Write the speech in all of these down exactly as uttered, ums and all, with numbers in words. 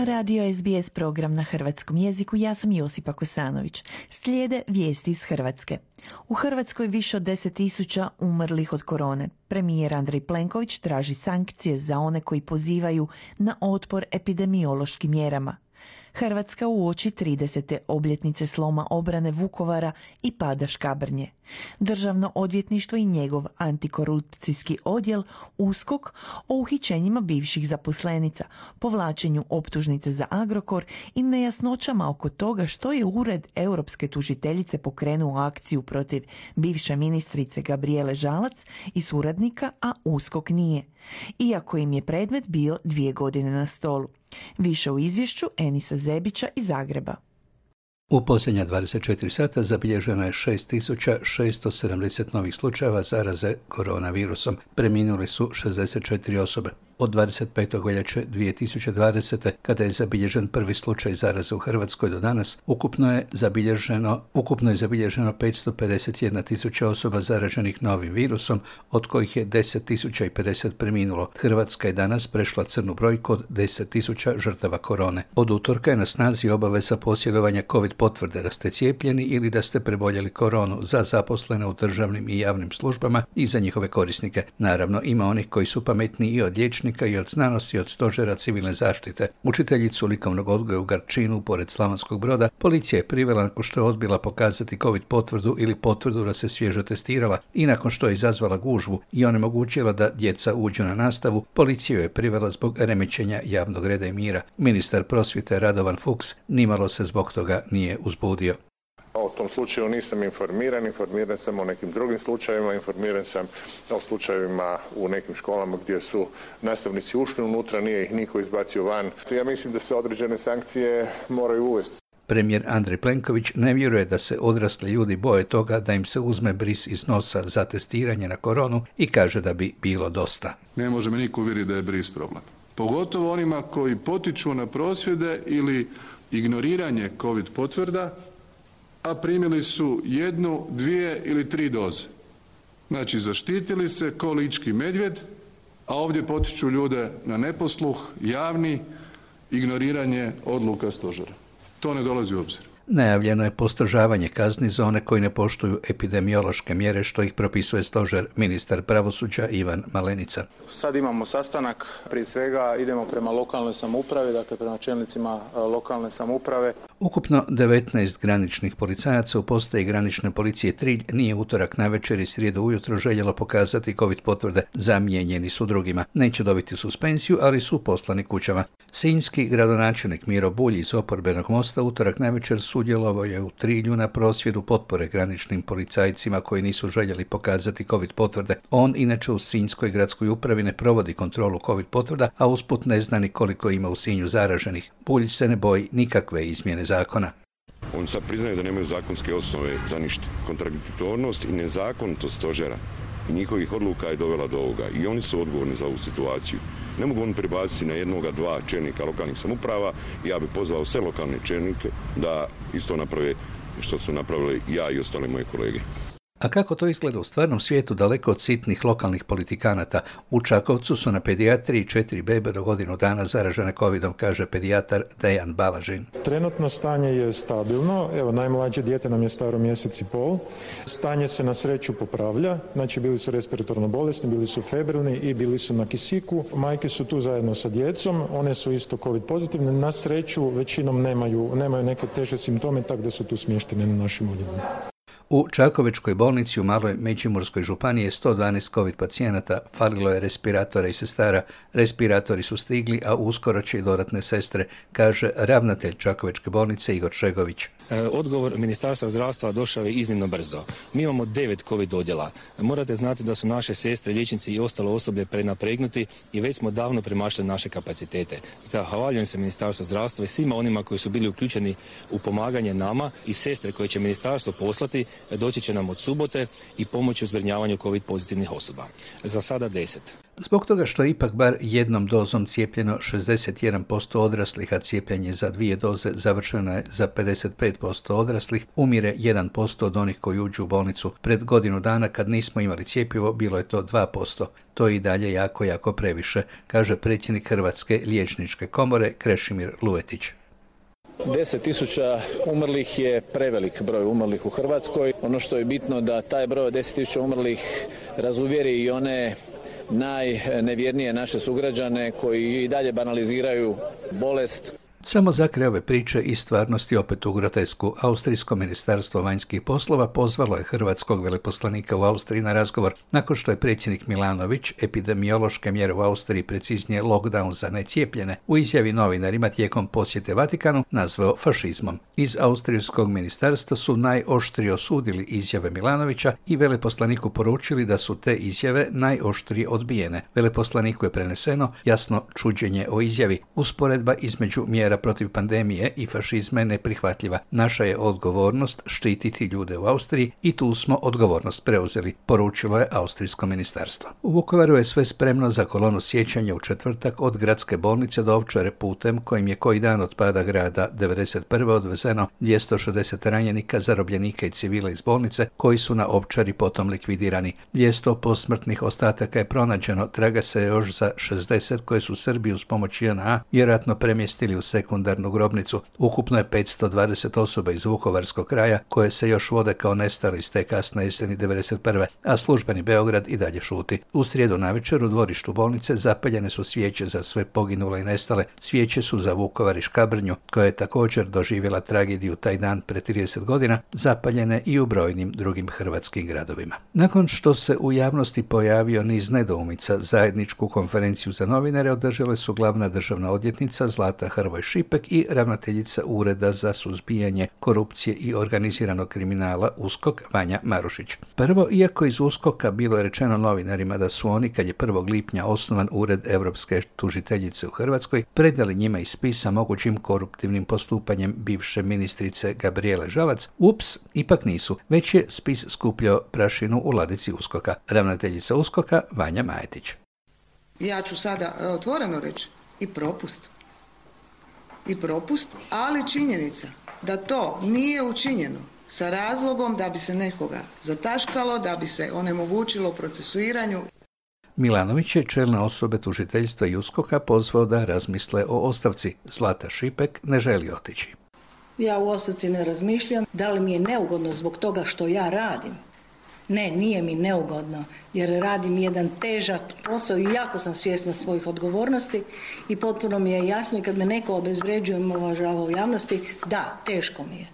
Radio S B S program na hrvatskom jeziku, ja sam Josipa Kosanović. Slijede vijesti iz Hrvatske. U Hrvatskoj više od deset tisuća umrlih od korone. Premijer Andrej Plenković traži sankcije za one koji pozivaju na otpor epidemiološkim mjerama. Hrvatska uoči tridesete obljetnice sloma obrane Vukovara i pada Škabrnje. Državno odvjetništvo i njegov antikorupcijski odjel USKOK o uhićenjima bivših zaposlenica, povlačenju optužnice za Agrokor i nejasnoćama oko toga što je Ured europske tužiteljice pokrenuo akciju protiv bivše ministrice Gabrijele Žalac i suradnika, a USKOK nije, iako im je predmet bio dvije godine na stolu. Više u izvješću Enisa Zebića iz Zagreba. U posljednja dvadeset četiri sata zabilježeno je šest tisuća šesto sedamdeset novih slučajeva zaraze koronavirusom. Preminule su šezdeset četiri osobe. Od dvadeset petog veljače dvije tisuće dvadesete. kada je zabilježen prvi slučaj zaraze u Hrvatskoj do danas, ukupno je zabilježeno, ukupno je zabilježeno petsto pedeset jedna tisuća osoba zaraženih novim virusom, od kojih je deset tisuća pedeset preminulo. Hrvatska je danas prešla crnu brojku od deset tisuća žrtava korone. Od utorka je na snazi obaveza posjedovanja COVID potvrde da ste cijepljeni ili da ste preboljeli koronu za zaposlene u državnim i javnim službama i za njihove korisnike. Naravno, ima onih koji su pametniji i od liječnika i od znanosti i od stožera civilne zaštite. Učiteljicu likovnog odgoja u Garčinu, pored Slavonskog Broda, policija je privela nakon što je odbila pokazati COVID potvrdu ili potvrdu da se svježo testirala i nakon što je izazvala gužvu i onemogućila da djeca uđu na nastavu, policija je privela zbog remećenja javnog reda i mira. Ministar prosvjete Radovan Fuchs nimalo se zbog toga nije uzbudio. O tom slučaju nisam informiran, informiran sam o nekim drugim slučajevima, informiran sam o slučajevima u nekim školama gdje su nastavnici ušli unutra, nije ih niko izbacio van. Ja mislim da se određene sankcije moraju uvesti. Premijer Andrej Plenković ne vjeruje da se odrasli ljudi boje toga da im se uzme bris iz nosa za testiranje na koronu i kaže da bi bilo dosta. Ne može me niko uvjeriti da je bris problem. Pogotovo onima koji potiču na prosvjede ili ignoriranje COVID potvrda, a primili su jednu, dvije ili tri doze. Znači, zaštitili se ko lički medvjed, a ovdje potiču ljude na neposluh, javni, ignoriranje odluka stožera. To ne dolazi u obzir. Najavljeno je postrožavanje kazni za one koji ne poštuju epidemiološke mjere što ih propisuje stožer. Ministar pravosuđa Ivan Malenica. Sad imamo sastanak, prije svega idemo prema lokalnoj samoupravi, dakle prema čelnicima lokalne samouprave. Ukupno devetnaest graničnih policajaca u postaji granične policije Trilj nije utorak navečer i srijedu ujutro željelo pokazati COVID potvrde. Zamijenjeni su drugima. Neće dobiti suspenziju, ali su poslani kućama. Sinjski gradonačelnik Miro Bulj iz oporbenog Mosta utorak navečer sudjelovao je u Trilju na prosvjedu potpore graničnim policajcima koji nisu željeli pokazati COVID potvrde. On inače u Sinjskoj gradskoj upravi ne provodi kontrolu COVID potvrda, a usput ne zna ni koliko ima u Sinju zaraženih. Bulj se ne boji nikakve izmjene zakona. Oni sad priznaju da nemaju zakonske osnove za ništa. Kontradiktornost i nezakonitost stožera i njihovih odluka je dovela do ovoga i oni su odgovorni za ovu situaciju. Ne mogu oni prebaciti na jednoga, dva čelnika lokalnih samouprava. Ja bih pozvao sve lokalne čelnike da isto naprave što su napravili ja i ostale moje kolege. A kako to izgleda u stvarnom svijetu daleko od sitnih lokalnih politikanata? U Čakovcu su na pedijatriji četiri bebe do godinu dana zaražene covidom, kaže pedijatar Dejan Balažin. Trenutno stanje je stabilno. Evo, najmlađe dijete nam je staro mjesec i pol. Stanje se na sreću popravlja. Znači, bili su respiratorno bolesni, bili su febrilni i bili su na kisiku. Majke su tu zajedno sa djecom. One su isto covid pozitivne. Na sreću većinom nemaju, nemaju neke teže simptome, tako da su tu smještene na našim odjelima. U Čakovečkoj bolnici u Maloj Međimurskoj županiji je sto dvanaest COVID pacijenata, falilo je respiratora i sestara. Respiratori su stigli, a uskoro će i dodatne sestre, kaže ravnatelj Čakovečke bolnice Igor Šegović. Odgovor Ministarstva zdravstva došao je iznimno brzo. Mi imamo devet COVID odjela. Morate znati da su naše sestre, liječnici i ostalo osoblje prenapregnuti i već smo davno premašili naše kapacitete. Zahvaljujem se Ministarstvu zdravstva i svima onima koji su bili uključeni u pomaganje nama i sestre koje će ministarstvo poslati doći će nam od subote i pomoći u zbrinjavanju COVID pozitivnih osoba. Za sada deset. Zbog toga što je ipak bar jednom dozom cijepljeno šezdeset jedan posto odraslih, a cijepljenje za dvije doze završeno je za pedeset pet posto odraslih, umire jedan posto od onih koji uđu u bolnicu. Pred godinu dana kad nismo imali cjepivo bilo je to dva posto. To je i dalje jako, jako previše, kaže predsjednik Hrvatske liječničke komore Krešimir Luvetić. deset tisuća umrlih je prevelik broj umrlih u Hrvatskoj. Ono što je bitno da taj broj od deset tisuća umrlih razuvjeri i one najnevjernije naše sugrađane koji i dalje banaliziraju bolest. Samo za kraj ove priče i stvarnosti opet u grotesku. Austrijsko ministarstvo vanjskih poslova pozvalo je hrvatskog veleposlanika u Austriji na razgovor nakon što je predsjednik Milanović epidemiološke mjere u Austriji, preciznije lockdown za necijepljene, u izjavi novinarima tijekom posjete Vatikanu nazvao fašizmom. Iz austrijskog ministarstva su najoštrije osudili izjave Milanovića i veleposlaniku poručili da su te izjave najoštrije odbijene. Veleposlaniku je preneseno jasno čuđenje o izjavi. Usporedba između mjera protiv pandemije i fašizma je neprihvatljiva. Naša je odgovornost štititi ljude u Austriji i tu smo odgovornost preuzeli, poručilo je austrijsko ministarstvo. U Vukovaru je sve spremno za kolonu sjećanja u četvrtak od gradske bolnice do Ovčare putem kojim je koji dan od pada grada devedeset prve odvezeno dvjesto šezdeset ranjenika, zarobljenika i civila iz bolnice koji su na Ovčari potom likvidirani. dvjesto posmrtnih ostataka je pronađeno, traga se još za šezdeset koje su Srbi uz pomoć J N A vjerojatno premjestili u sekundarnu grobnicu. Ukupno je petsto dvadeset osoba iz Vukovarskog kraja koje se još vode kao nestali iz te kasne jeseni devedeset prve, a službeni Beograd i dalje šuti. U srijedu navečer u dvorištu bolnice zapaljene su svijeće za sve poginule i nestale. Svijeće su za Vukovar i Škabrnju, koja je također doživjela tragediju taj dan pred trideset godina, zapaljene i u brojnim drugim hrvatskim gradovima. Nakon što se u javnosti pojavio niz nedoumica, zajedničku konferenciju za novinare održale su glavna državna odvjetnica Zlata Hrvoj Šipek i ravnateljica Ureda za suzbijanje korupcije i organiziranog kriminala U S K O K Vanja Marušić. Prvo, iako iz U S K O K-a bilo je rečeno novinarima da su oni, kad je prvog lipnja osnovan Ured Europske tužiteljice u Hrvatskoj, predali njima i spis sa mogućim koruptivnim postupanjem bivše ministrice Gabrijele Žalac, ups, ipak nisu, već je spis skupljao prašinu u ladici U S K O K-a. Ravnateljica U S K O K-a Vanja Majetić. Ja ću sada otvoreno reći i propust. I propust, ali činjenica da to nije učinjeno sa razlogom da bi se nekoga zataškalo, da bi se onemogućilo procesuiranju. Milanović je čelne osobe tužiteljstva i U S K O K-a pozvao da razmisle o ostavci. Zlata Šipek ne želi otići. Ja u ostavci ne razmišljam. Da li mi je neugodno zbog toga što ja radim? Ne, nije mi neugodno, jer radim jedan težak posao i jako sam svjesna svojih odgovornosti i potpuno mi je jasno i kad me neko obezvređuje i omalovažava u javnosti, da, teško mi je.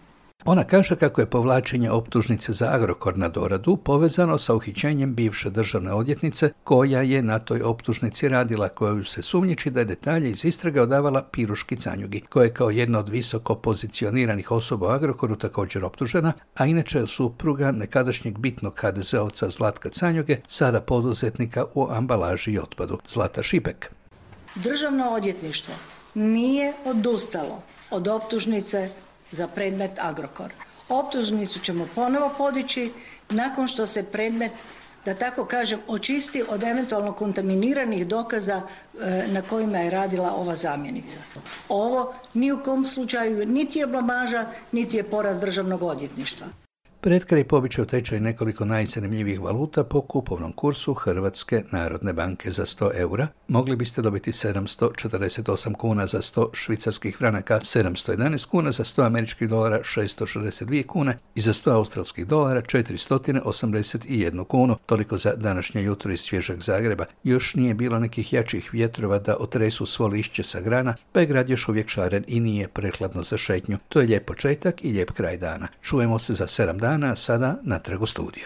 Ona kaže kako je povlačenje optužnice za Agrokor na doradu povezano sa uhićenjem bivše državne odvjetnice koja je na toj optužnici radila, koju se sumnjiči da je detalje iz istrage odavala Piruški Canjugi, koja je kao jedna od visoko pozicioniranih osoba u Agrokoru također optužena, a inače je supruga nekadašnjeg bitnog ha de zeovca Zlatka Canjuge, sada poduzetnika u ambalaži i otpadu. Zlata Šipek. Državno odvjetništvo nije odustalo od optužnice za predmet Agrokor. Optužnicu ćemo ponovo podići nakon što se predmet, da tako kažem, očisti od eventualno kontaminiranih dokaza e, na kojima je radila ova zamjenica. Ovo ni u kom slučaju niti je blamaža, niti je poraz državnog odvjetništva. Pred kraj pobičaju tečaj nekoliko najzanimljivih valuta po kupovnom kursu Hrvatske narodne banke. Za sto eura mogli biste dobiti sedamsto četrdeset osam kuna, za sto švicarskih franaka sedamsto jedanaest kuna, za sto američkih dolara šesto šezdeset dvije kune i za sto australskih dolara četiristo osamdeset jedan kunu. Toliko za današnje jutro iz svježeg Zagreba. Još nije bilo nekih jačih vjetrova da otresu svo lišće sa grana, pa je grad još uvijek šaren i nije prehladno za šetnju. To je lijep početak i lijep kraj dana. Čujemo se za sedam dana, sada natrag u studio.